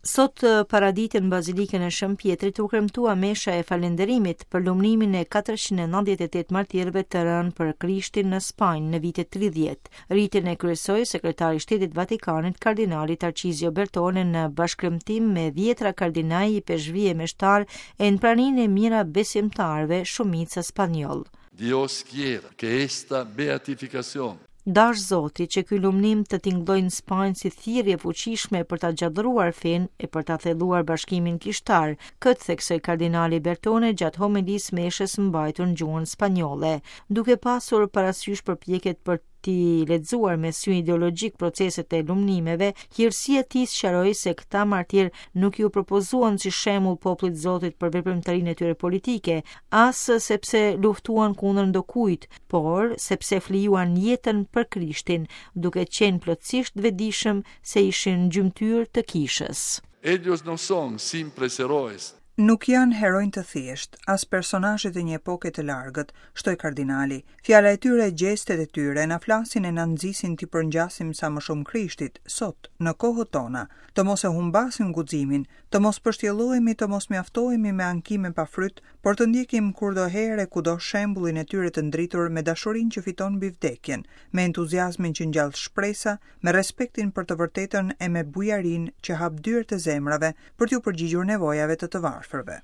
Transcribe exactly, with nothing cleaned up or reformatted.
Sot paradite në Bazilikën e Shën Pjetrit u kremtua mesha e falënderimit për lumnimin e katërqind e nëntëdhjetë e tetë martirëve të rënë për Krishtin në Spanjë në vitet tridhjetë. Ritin e kryesoi sekretari i Shtetit Vatikanit, kardinali Tarcizio Bertone, në bashkëkremtim me dhjetra kardinaj, ipeshkvij e meshtar e në praninë e mijëra besimtarëve, shumica spanjoll. Dios quiera que esta beatificación Dash Zoti që ky lumnim të tingëllojë në Spanjë si thirrje e fuqishme për ta gjallëruar fenë e për ta thelluar bashkimin kishtar. Këtë theksoi kardinali Bertone gjatë homilisë meshës mbajtur në gjuhën spanjolle, duke pasur parasysh përpjekjet për t'i lexuar me sy ideologjik proceset e lumnimeve. Hirësia e tij sqaroi se këta martir nuk iu propozuan si shembull popullit Zotit për veprimtarinë e tyre politike, as sepse luftuan kundër ndokujt, por sepse flijuan jetën për Krishtin, duke qenë plotësisht vetëdijshëm se ishin gjymtyrë të kishës. Ellos no son simples heroes. Nuk janë heronj të thjeshtë, as personazhet e një epoke të largët, shtoi kardinali. Fjala e tyre, gjestet e tyre, na flasin e na nxisin t'i përngjasim sa më shumë Krishtit, sot, në kohët tona, të mos e humbasim guximin, të mos pështjellohemi, të mos mjaftohemi me ankime pa fryt, por të ndjekim kurdoherë e kudo shembullin e tyre të ndritur me dashurinë që fiton mbi vdekjen, me entuziazmin që ngjall shpresa, me respektin për të vërtetën e me bujarinë që hap dyert e zemrave për t'u përgjigjur nevojave të të varfërve.